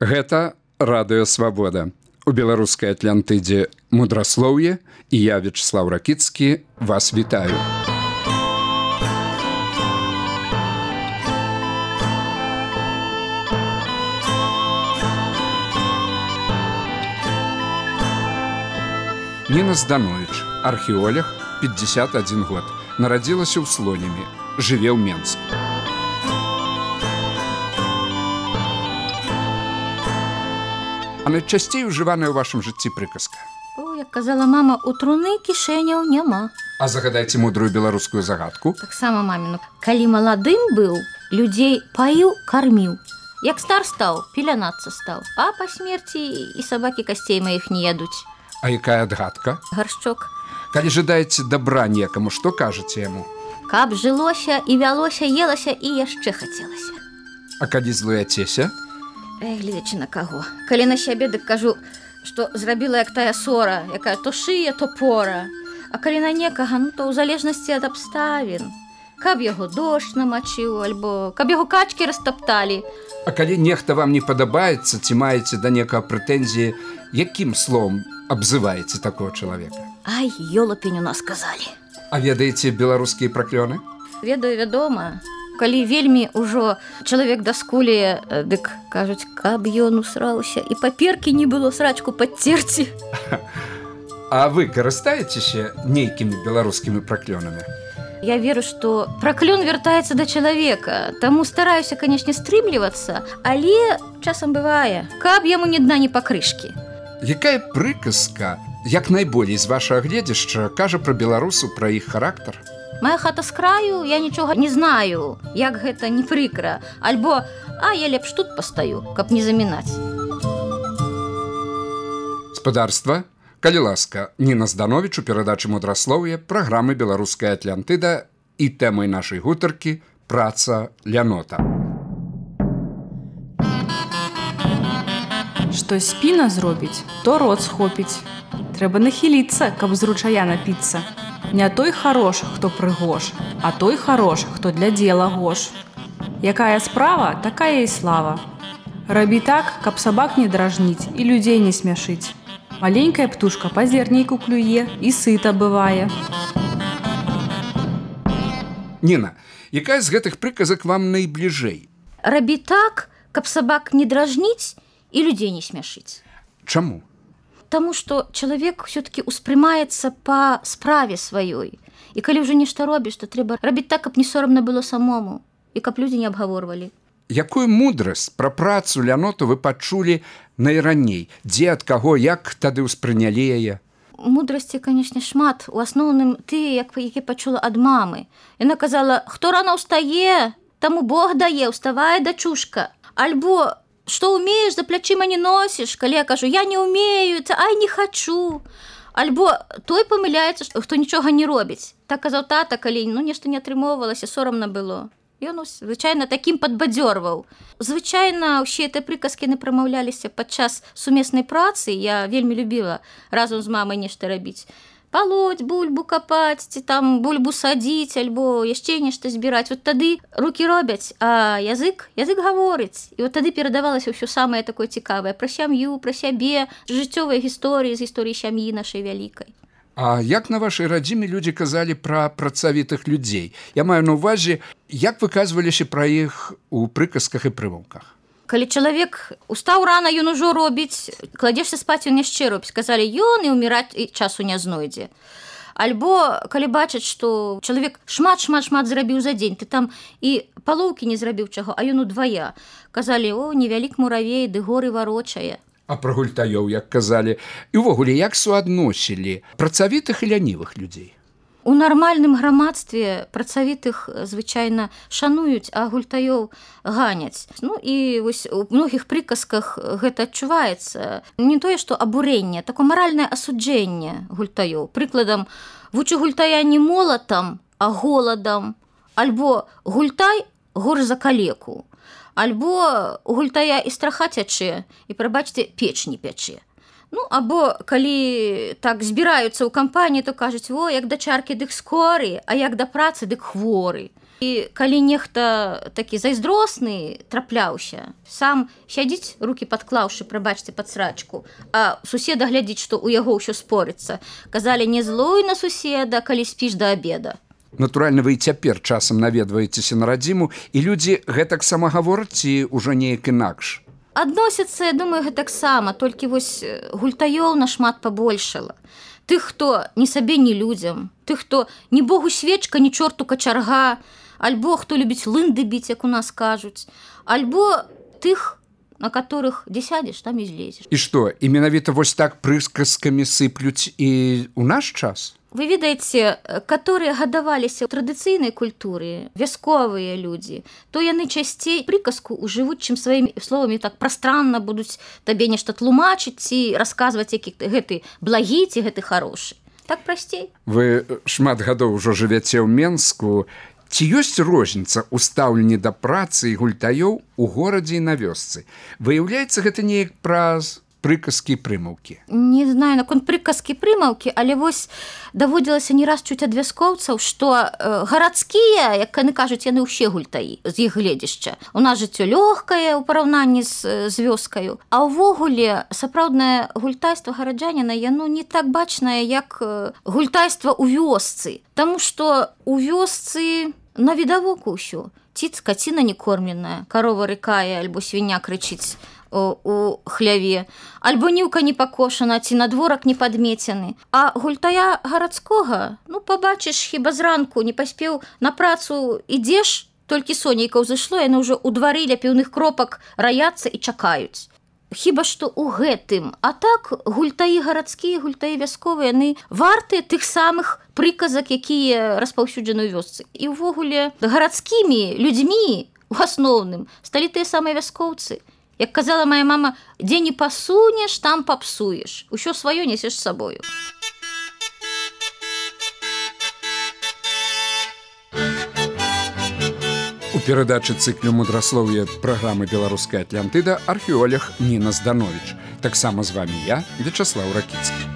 Гэта радыё Свабода. У беларускай Атлантыдзе мудраслоўе, і я, Вячеслав Ракіцкі, вас вітаю. Ніна Зданович, археолог, 51 год, нарадзілася ў Слонімі, жыве ў Менску. А найчасцей ужываная ў вашым жыцці прыказка? О, як казала мама, у труны кішэняў няма. А загадайце мудрую беларускую загадку. Таксама маміну. Калі маладым быў, людзей паіў, карміў. Як стар стаў, пелянацца стаў. А па смерці і сабакі касцей маіх не ядуць. А якая адгадка? Гаршчок. Калі жадаеце дабра некаму, што кажаце яму? Каб жылося і вялося, елася і яшчэ хацелася. А калі злуяцеся? Гледзячы на каго. Калі на сябе, дык кажу, што зрабіла як тая сора, якая то шые, то пора. А калі на некага, то ў залежнасці ад абставін. Каб яго дождж намачыў, альбо каб яго качкі растапталі. А калі нехта вам не падабаецца, ці маеце да некага прэтэнзіі, якім словам абзываеце такого чалавека? Ай, ёлапень у нас казалі. А ведаеце беларускія праклёны? Ведаю, вядома. Калі вельмі ўжо чалавек даскулее, дык кажуць, каб ён усраўся, і паперкі не было срачку падцерці. А вы карыстаецеся нейкімі беларускімі праклёнамі? Я веру, што праклён вяртаецца да чалавека, таму стараюся, канешне, стрымлівацца, але часам бывае, каб яму ні дна, ні пакрышкі. Якая прыказка, як найболей з вашага гледзяшча, кажа пра беларусаў, пра іх характар? Моя хата з краю, я нічога не знаю, як гэта не прыкра. Альбо, а я лепш тут пастаю, каб не замінаць. Спадарства, калі ласка, Ніна Зданович у перадачы мудраслоўе праграмы «Беларуская Атлантыда» і тэмай нашай гутаркі «Праца лянота». Што спіна зробіць, то рот схопіць. Трэба нахіліцца, каб з ручая напіцца. Не той харош, хто прыгош, а той харош, хто для дзела гош. Якая справа, такая і слава. Рабі так, каб сабак не дражніць і людзей не смяшыць. Маленькая птушка па зернейку клюе і сыта бывае. Ніна, якая з гэтых прыказак вам найбліжэй? Рабі так, каб сабак не дражніць і людзей не смяшыць. Чаму? Таму што чалавек ўсё-такі ўспрымаецца па справе сваёй. І калі ўжо нешта робіш, то трэба рабіць так, каб не сорамна было самому і каб людзі не абгаворвалі. Якую мудрасць пра працу ляноту вы пачулі найраней? Дзе, ад каго, як тады ўспрынялі яе? Мудрасці, канешне, шмат. У асноўным тыя, які пачула ад мамы. Яна казала, хто рана ўстае, таму Бог дае, ўставае, дачушка. Альбо што ўмееш, за плячыма не носіш. Калі я кажу, я не ўмею, ай, не хачу. Альбо той памыляецца, хто нічога не робіць. Так казаў тата, калі нешта не атрымоўвалася, сорамна было. Ён, звычайна, такім падбадзёрваў. Звычайна, усе гэтыя прыказкі не прамаўляліся падчас сумеснай працы. Я вельмі любіла разам з мамай нешта рабіць. Палоть, бульбу капаць, ці там бульбу садзіць, альбо яшчэ нешта збіраць. Вот тады рукі робяць, а язык гаворыць. І вот тады перадавалася ўсё самае такое цікавае пра сям'ю, пра сябе, жыццёвыя гісторыі, з гісторыі сям'і нашай вялікай. А як на вашай радзіме людзі казалі пра працавітых людзей? Я маю на ўвазе, як выказваліся пра іх у прыказках і прымаўках? Калі чалавек устаў рана, ён ужо робіць, кладзешся спаць, ён яшчэ робіць. Казалі, ён і ўміраць і часу не знойдзе. Альбо, калі бачаць, што чалавек шмат зрабіў за дзень, ты там і палоўкі не зрабіў чаго, а ён удвая. Казалі, о, невялік муравей, ды горы варочае. А пра гультаёў, як казалі, і ўвогуле, як суадносілі працавітых і лянівых людзей? У нармальным грамадстве працавітых, звычайна, шануюць, а гультаёў ганяць. Ну і вось у многіх прыказках гэта адчуваецца. Не тое, што абурэнне, такое маральнае асуджэнне гультаёў. Прыкладам, вучу гультая не молатам, а голадам. Альбо гультай горш за калеку. Альбо у гультая і страха цячэ, і, прабачце, печ не пячэ. Ну, або, калі так збіраюцца ў кампаніі, то кажуць, о, як да чаркі, дык скоры, а як да працы, дык хворы. І калі нехта такі зайздросны трапляўся, сам сядзіць, рукі падклаўшы, прабачце, пад срачку, а суседа глядзіць, што ў яго ўсё спорыцца. Казалі, не злуй на суседа, калі спіш да абеда. Натуральна, вы і цяпер часам наведваецеся на радзіму, і людзі гэтак сама гавораць ці ўжо неяк інакш? Адносяцца, я думаю, гэтаксама, толькі вось гультаёў нашмат пабольшала. Тых, хто ні сабе, ні людзям, тых, хто ні богу свечка, ні чорту качарга, альбо хто любіць лынды біць, як у нас кажуць, альбо тых, на которых дзе сядзеш, там і злезеш. І што, і менавіта вось так прысказкамі сыплюць і ў наш час? Вы ведаеце, которые гадаваліся ў традыцыйнай культуры, вясковыя людзі, то яны часцей прыказку ўжывуць, чым сваімі словамі так прастранна будуць табе нешта тлумачыць ці расказваць, які гэты благі ці гэты харошы. Так прасцей. Вы шмат гадоў ужо жывяце ў Менску. Ці ёсць розніца ў стаўленні да працы і гультаёў у горадзе і на вёсцы? Выяўляецца гэта неяк праз прыказкі і прымаўкі? Не знаю, наконт прыказкі і прымаўкі, але вось даводзілася не раз чуць ад вяскоўцаў, што гарадскія, як яны кажуць, яны ўсе гультаі з іх гледзішча. У нас жыццё лёгкае ў параўнанні з вёскаю, а ўвогуле сапраўднае гультайства гараджаніна, яно не так бачнае, як гультайства ў вёсцы. Таму што ў вёсцы на відавоку ўсё. Ці скаціна не кормленая, карова рыкае, альбо свіня крычыць у хляве, альбо ніўка не пакошана, ці надворак не падмецены. А гультая гарадскога, ну, пабачыш, хіба зранку не паспеў на працу, ідзеш, толькі сонейка ўзышло, яны ўжо ў двары ля піўных кропак раяцца і чакаюць. Хіба што ў гэтым. А так, гультаі гарадскія, гультаі вясковыя, яны вартыя тых самых прыказак, якія распаўсюджаны ў вёсцы. І ўвогуле гарадскімі людзьмі, у асноўным, сталі тыя самыя вяскоўцы. Як казала моя мама, дзе не пасунеш, там папсуеш. Усё сваё несеш з сабою. У перадачы цыклю мудраслоўя праграмы «Беларуская Атлантыда» археолог Ніна Здановіч. Таксама з вамі я, Вячаслаў Ракіцкі.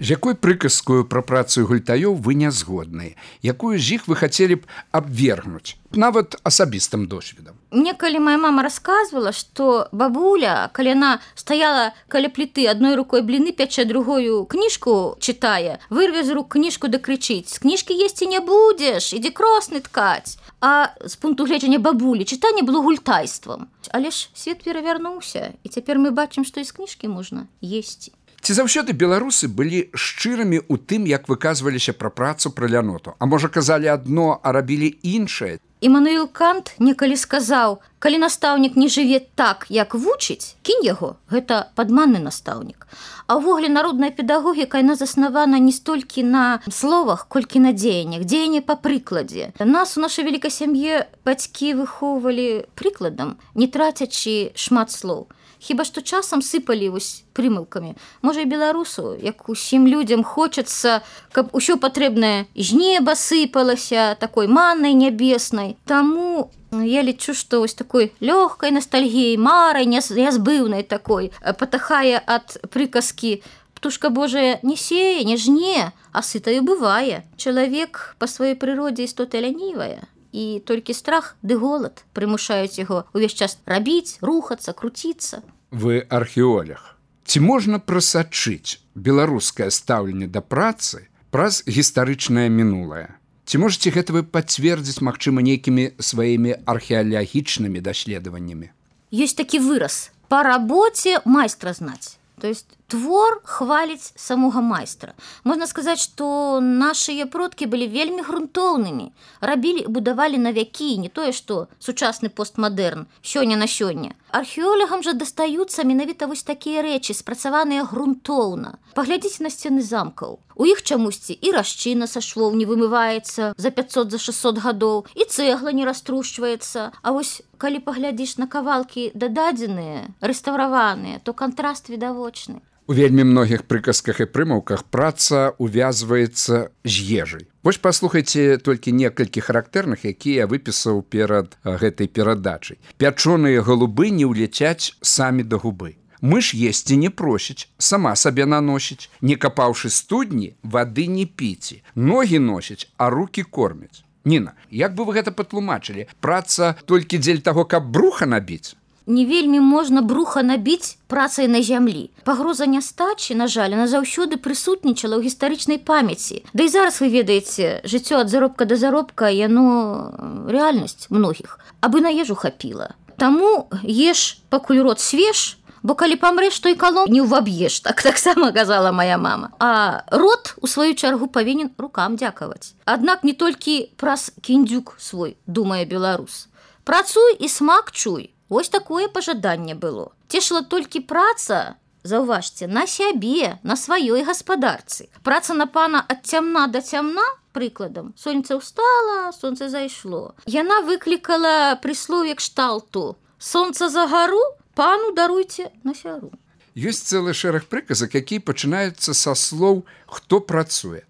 З якой прыказкою пра працу гультаёў вы не згодныя? Якую з іх вы хацелі б абвергнуць, нават асабістым досведам? Мне калі моя мама расказвала, што бабуля, калі яна стаяла каля пліты, адной рукой бліны пячэ, другою кніжку чытае, вырве з рук кніжку да крычыць: «З кніжкі есці не будзеш, ідзі кросны ткаць». А з пункту гледжання бабулі чытанне было гультайствам. Але ж свет перавярнуўся, і цяпер мы бачым, што і з кніжкі можна есці. Ці заўсёды беларусы былі шчырымі ў тым, як выказваліся пра працу, пра ляноту? А можа, казалі адно, а рабілі іншае? Імануіл Кант некалі сказаў: калі настаўнік не жыве так, як вучыць, кінь яго, гэта падманны настаўнік. А ўвогуле народная педагогіка, яна заснавана не столькі на словах, колькі на дзеяннях, дзеянне па прыкладзе. Нас у нашай вялікай сям'і бацькі выхоўвалі прыкладам, не трацячы шмат слоў. Хіба што часам сыпалі вось прымылкамі. Можа, і беларусу, як усім людзям хочацца, каб усё патрэбнае з неба сыпалася, такой маннай нябеснай. Таму я лічу, што вось такой лёгкай ностальгіяй, марай нязбыўнай такой патахае ад прыказкі: «Птушка Божая не сее, не жне, а сытаю бывае». Чалавек па сваёй прыродзе істота лянівая. І толькі страх ды голад прымушаюць яго ўвесь час рабіць, рухацца, круціцца. Вы археолог. Ці можна прасачыць беларускае стаўленне да працы праз гістарычнае мінулае? Ці можаце гэта вы пацвердзіць, магчыма, нейкімі сваімі археалагічнымі даследаваннямі? Ёсць такі выраз: па рабоце майстра знаць. То есть твор хваліць самога майстра. Можна сказаць, што нашыя продкі былі вельмі грунтоўнымі, рабілі і будавалі на вякі, не тое, што сучасны постмадэрн, сёння на сёння. Археолагам жа дастаюцца менавіта вось такія рэчы, спрацаваныя грунтоўна. Паглядзіце на сцены замкаў. У іх чамусьці і расчына са швоў не вымываецца за 500, за 600 гадоў, і цэгла не раструшчваецца. А вось калі паглядзіш на кавалкі дададзеныя, рэстаўраваныя, то кантраст відавочны. У вельмі многіх прыказках і прымаўках праца увязваецца з ежай. Вось паслухайце толькі некалькі характэрных, якія я выпісаў перад гэтай перадачай. Пячоныя галубы не ўляцяць самі да губы. Мыш есці не просіць, сама сабе наносіць, не капаўшы студні, вады не піці, ногі носіць, а рукі кормяць. Ніна, як бы вы гэта патлумачылі? Праца толькі дзеля таго, каб бруха набіць? Не вельмі можна бруха набіць працай на зямлі. Пагроза нястачы, на жаль, она заўсёды прысутнічала ў гістарычнай памяці. Да і зараз вы ведаеце, жыццё ад заробка да заробка, яно рэальнасць многіх. Абы на ежу хапіла. Таму еш, пакуль рот свеж, бо калі памрэш, то і калом не ўваб'еш, таксама казала моя мама. А рот, у сваю чаргу, павінен рукам дзякаваць. Аднак не толькі праз кіндзюк свой, думае беларус. Працуй і смак чуй. Вось такое пажаданне было. Цешыла толькі праца, заўважце, на сябе, на сваёй гаспадарцы. Праца на пана ад цямна да цямна, прыкладам, сонца ўстала, сонца зайшло. Яна выклікала прыслоўе кшталту: сонца за гару, пану даруйце на сяру. Ёсць цэлы шэраг прыказак, якія пачынаюцца са слоў «хто працуе».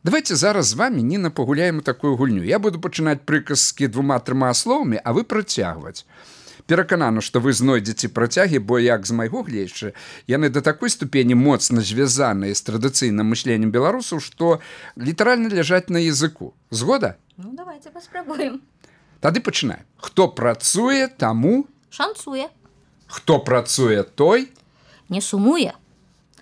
Давайте зараз з вами, Ніна, пагуляем у такую гульню. Я буду пачынаць прыказкі 2-3 словамі, а вы працягваць. Пераканана, што вы знойдзеце працягі, бо, як з майго гледзячы, яны да такой ступені моцна звязаныя з традыцыйным мышленнем беларусаў, што літаральна ляжаць на языку. Згода? Ну, давайте паспрабуем. Тады пачынаем. Хто працуе, таму... Шанцуе. Хто працуе, той... Не сумуе.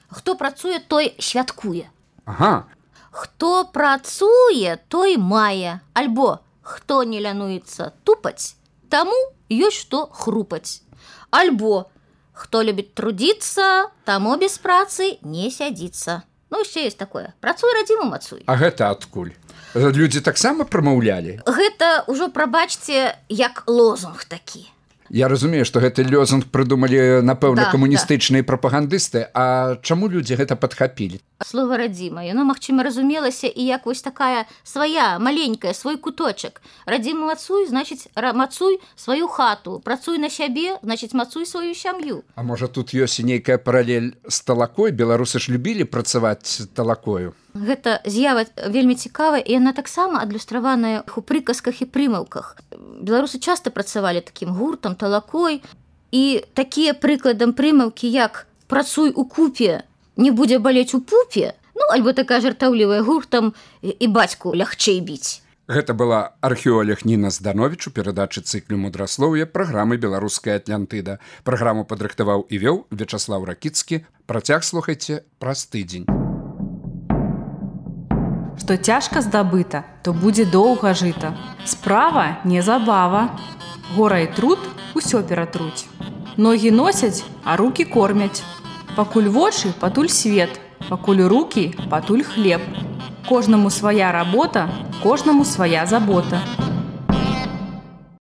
Хто працуе, той святкуе. Ага. Хто працуе, той мае. Альбо хто не лянуецца тупаць, таму ёсць што хрупаць. Альбо хто любіць трудіцца, таму без працы не сядзіцца. Ну, яшчэ ёсць такое. Працуй, радзіму мацуй. А гэта адкуль? Людзі таксама прамаўлялі? Гэта ўжо, прабачце, як лозунг такі. Я разумею, што гэты лозунг прыдумалі, напэўна, Да, камуністычныя прапагандысты. А чаму людзі гэта падхапілі? Слова радзіма, яно, магчыма, разумелася і як вось такая свая, маленькая, свой куточак. Радзіму мацуй, значыць, мацуй сваю хату. Працуй на сябе, значыць, мацуй сваю сям'ю. А можа, тут ёсць і нейкая паралель з талакой? Беларусы ж любілі працаваць талакою. Гэта з'ява вельмі цікавая, і яна таксама адлюстраваная у прыказках і прымаўках. Беларусы часта працавалі такім гуртам, талакой, і такія прыкладам прымаўкі, як «працуй у купе, не будзе балець у пупе», ну, альбо такая жартаўлівая гуртам «і бацьку лягчэй біць». Гэта была археолог Ніна Здановіч у перадачы цыклю мудраслоўя праграмы «Беларуская Атлантыда». Праграму падрыхтаваў і вёў Вячаслаў Ракіцкі. Працяг слухайце праз тыдзень. Што цяжка здабыта, то будзе доўга жыта. Справа не забава. Гора і труд усё ператруць. Ногі носяць, а рукі кормяць. Пакуль вочы, патуль свет. Пакуль рукі, патуль хлеб. Кожнаму свая работа, кожнаму свая забота.